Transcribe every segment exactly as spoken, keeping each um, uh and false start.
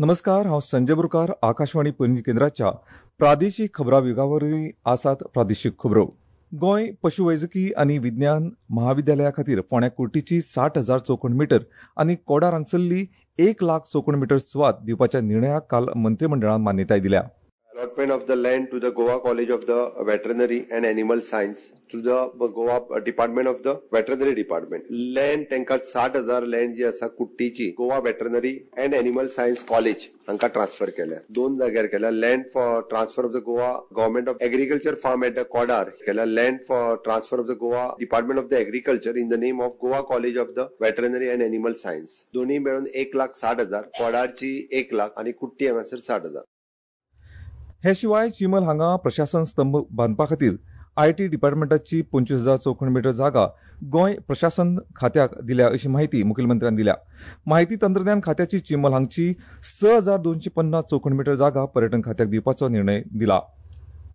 नमस्कार, हांव संजय बोरकार, आकाशवाणी पणजी केंद्राच्या प्रादेशीक खबरां विभागा आसात प्रादेशीक खबरो. गोंय पशुवैजकी आनी विज्ञान महाविद्यालया खातीर फोंड्या कुर्टीची साठ हजार चौखण मिटर आनी कोडार हांगसरली एक लाख चौखण मिटर सुवात दिवपाच्या निर्णयाक काल मंत्रिमंडळान मान्यताय दिल्या. Allotment of the land to the Goa College of the Veterinary and Animal Science to the Goa Department of the Veterinary Department. Land तांकां साठ हजार लँड जी आसा कुट्टीची Goa veterinary and animal science college हांकां ट्रान्सफर केल्या. दोन जाग्यार केल्या. Land for transfer of the Goa government of agriculture farm at the Kodar केल्या. Land for transfer of the Goa department of the agriculture in the name of Goa college of the veterinary and animal science. दोन्ही मेळून एक लाख साठ हजार, कोडारची एक लाख आनी कुट्टी हांगासर साठ हजार. हे शिवाय चिमल हांगा प्रशासन स्तंभ बांदपा खातीर I T डिपार्टमेंटाची पंचवीस हजार चौखण मिटर जागा गोंय प्रशासन खात्याक दिल्या अशी माहिती मुखेलमंत्र्यान दिल्या. माहिती तंत्रज्ञान खात्याची चिमल हांगची स हजार दोनशे पन्नास चौखण मिटर जागा पर्यटन खात्याक दिवपाचो निर्णय दिला.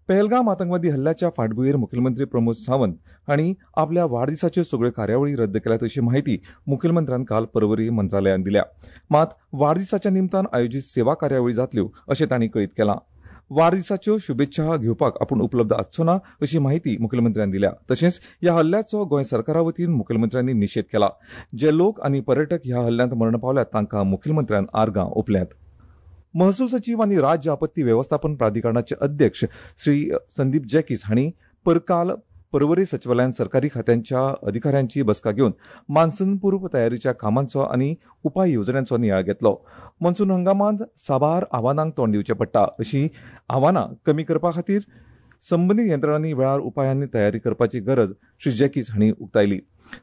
पहलगाम आतंकवादी हल्ल्याच्या फाटभुंयेर मुखेलमंत्री प्रमोद सावंत हांणी आपल्या वाडदिसाच्यो सगळ्यो कार्यावळी रद्द केल्यात अशी माहिती मुखेलमंत्र्यान काल परवरी मंत्रालयान दिल्या. मात वाडदिसाच्या निमतान आयोजीत सेवा कार्यावळी जातल्यो अशें तांणी कळीत केलां. वाडदिसाच्यो शुभेच्छा घेवपाक आपूण उपलब्ध आसचो ना अशी माहिती मुखेलमंत्र्यान दिल्या. तशेंच ह्या हल्ल्याचो गोंय सरकारा वतीन मुखेलमंत्र्यांनी निशेध केला. जे लोक आनी पर्यटक ह्या हल्ल्यांत मरण पावल्यात तांकां मुखेलमंत्र्यान आर्गां ओंपल्यात. महसूल सचीव आनी राज्य आपत्ती वेवस्थापन प्राधिकरणाचे अध्यक्ष श्री संदीप जॅकीस हांणी परकाल परवरी सचिवालयान सरकारी खात्यांच्या अधिकाऱ्यांची बसका घेवन मान्सूनपूर्व तयारीच्या कामांचो आनी उपाय येवजण्यांचो नियाळ घेतलो. मान्सून हंगामांत साबार आव्हानांक तोंड दिवचें पडटा. अशी आव्हानां कमी करपा खातीर संबंदीत यंत्रणांनी वेळार उपायांनी तयारी करपाची गरज श्री जॅकीस हांणी उक्तायली.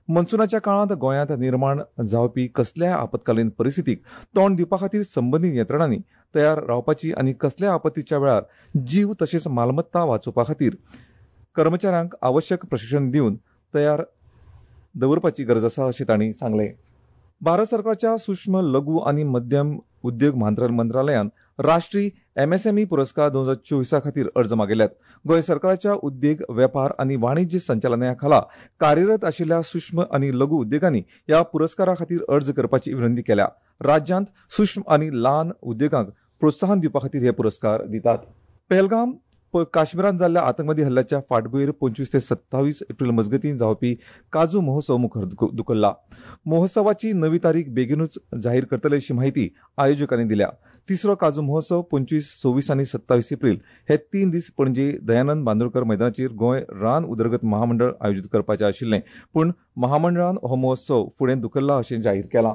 मान्सूनाच्या काळांत गोंयांत निर्माण जावपी कसल्याय आपत्कालीन परिस्थितीक तोंड दिवपा खातीर संबंदीत यंत्रणांनी तयार रावपाची आनी कसल्याय आपत्तीच्या वेळार जीव तशेंच मालमत्ता वाचोवपा खातीर कर्मचाऱ्यांक आवश्यक प्रशिक्षण दिवन तयार दवरपाची गरज आसा अशें तांणी सांगलें. भारत सरकारच्या सूक्ष्म लघु आनी मध्यम उद्योग मंत्रालयान राष्ट्रीय एमएसएमई पुरस्कार दोन हजार चोवीसा खातीर अर्ज मागयल्यात. गोंय सरकाराच्या उद्देग वेपार आनी वाणिज्य संचालनालया खाला कार्यरत आशिल्ल्या सूक्ष्म आनी लघु उद्देगांनी ह्या पुरस्कारा खातीर अर्ज करपाची विनंती केल्या. राज्यांत सूक्ष्म आनी ल्हान उद्देगांक प्रोत्साहन दिवपा खातीर हे पुरस्कार दितात. पहलगाम काश्मीरांत जाल्ल्या आतंकवादी हल्ल्याच्या फाटभुंयेर पंचवीस ते सत्तावीस एप्रिल मजगतीं जावपी काजू महोत्सव मुखार धुकल्ला. महोत्सवाची नवी तारीख बेगीनूच जाहीर करतले अशी माहिती आयोजकांनी दिल्या. तिसरो काजू महोत्सव पंचवीस, सव्वीस आनी सत्तावीस एप्रिल हे तीन दीस पणजे दयानंद बांदोडकर मैदानाचेर गोंय रान उदरगत महामंडळ आयोजीत करपाचें आशिल्लें, पूण महामंडळान हो महोत्सव फुडें धुकल्ला अशें जाहीर केलां.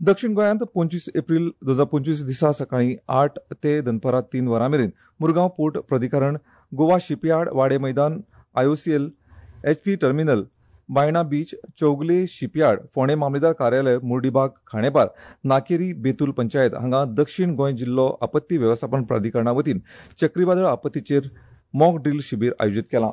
दक्षिण गोंयांत पंचवीस एप्रिल दोन हजार पंचवीस दिसा सकाळीं आठ ते दनपारां तीन वरां मेरेन मुरगांव पोर्ट प्राधिकरण, गोवा शिपयार्ड, वाडे मैदान, I O C L, H P terminal, Baina beach, Chowgule shipyard, फोंडें मामलेदार कार्यालय, मुर्डीबाग, खांडेपार, नाकेरी, बेतूल पंचायत हांगा दक्षिण गोंय जिल्लो आपत्ती वेवस्थापन प्राधिकरणा वतीन चक्रीवादळ आपत्तीचेर मॉक ड्रील शिबीर आयोजीत केलां.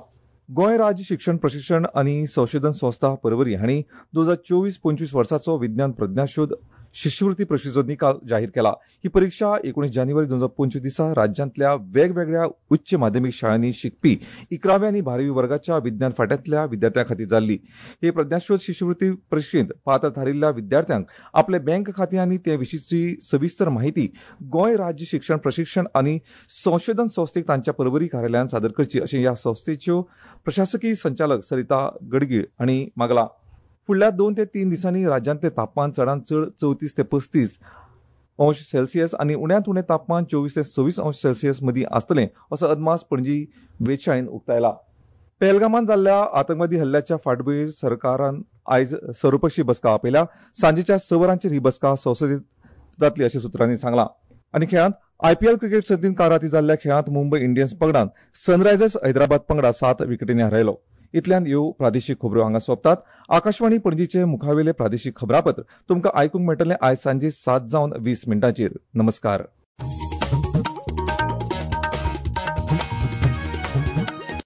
गोंय राज्य शिक्षण प्रशिक्षण आनी संशोधन संस्था परवरी हांणी दोन हजार चोवीस पंचवीस वर्साचो विज्ञान प्रज्ञाशोध शिश्यवृत्ती परीक्षेचो निकाल जाहीर केला. ही परीक्षा एकोणीस जानेवारी दोन हजार पंचवीस दिसा राज्यांतल्या वेगवेगळ्या उच्च माध्यमीक शाळांनी शिकपी इकराव्या आनी बारावी वर्गाच्या विज्ञान फाट्यांतल्या विद्यार्थ्यां खातीर जाल्ली. हे प्रज्ञाशोध शिश्यवृत्ती परीक्षेंत पात्र थारिल्ल्या विद्यार्थ्यांक आपले बँक खातें आनी ते विशींची सविस्तर माहिती गोंय राज्य शिक्षण प्रशिक्षण आनी संशोधन संस्थेक तांच्या परवरी कार्यालयान सादर करची अशें ह्या संस्थेच्यो प्रशासकीय संचालक सरिता गडगीळ हांणी मागलां. फुडल्या दोन ते तीन दिसांनी राज्यांतलें तापमान चडांत चड चवतीस ते पस्तीस अंश सेल्सियस आनी उण्यांत उणें तापमान चोवीस ते सव्वीस अंश सेल्सियस मदीं आसतलें असो अदमास पणजी वेधशाळेन उक्तायला. पहलगामांत जाल्ल्या आतंकवादी हल्ल्याच्या फाटभुंयेर सरकारान आयज सर्वपक्षीय बसका आपयल्या. सांजेच्या स वरांचेर ही बसका संसदेत जातली अशें सुत्रांनी सांगलां. आनी खेळांत आयपीएल क्रिकेट सर्तींत काल राती जाल्ल्या खेळांत मुंबय इंडियन्स पंगडान सनरायझर्स हैदराबाद पंगडा सात विकेटींनी हारयलो. इतल्यान ह्यो प्रादेशीक खबरो हांगा सोंपतात. आकाशवाणी पणजीचे मुखावेले प्रादेशीक खबरापत्र तुमकां आयकूंक मेळटलें आयज सांजे सात जावन वीस मिनटांचेर. नमस्कार.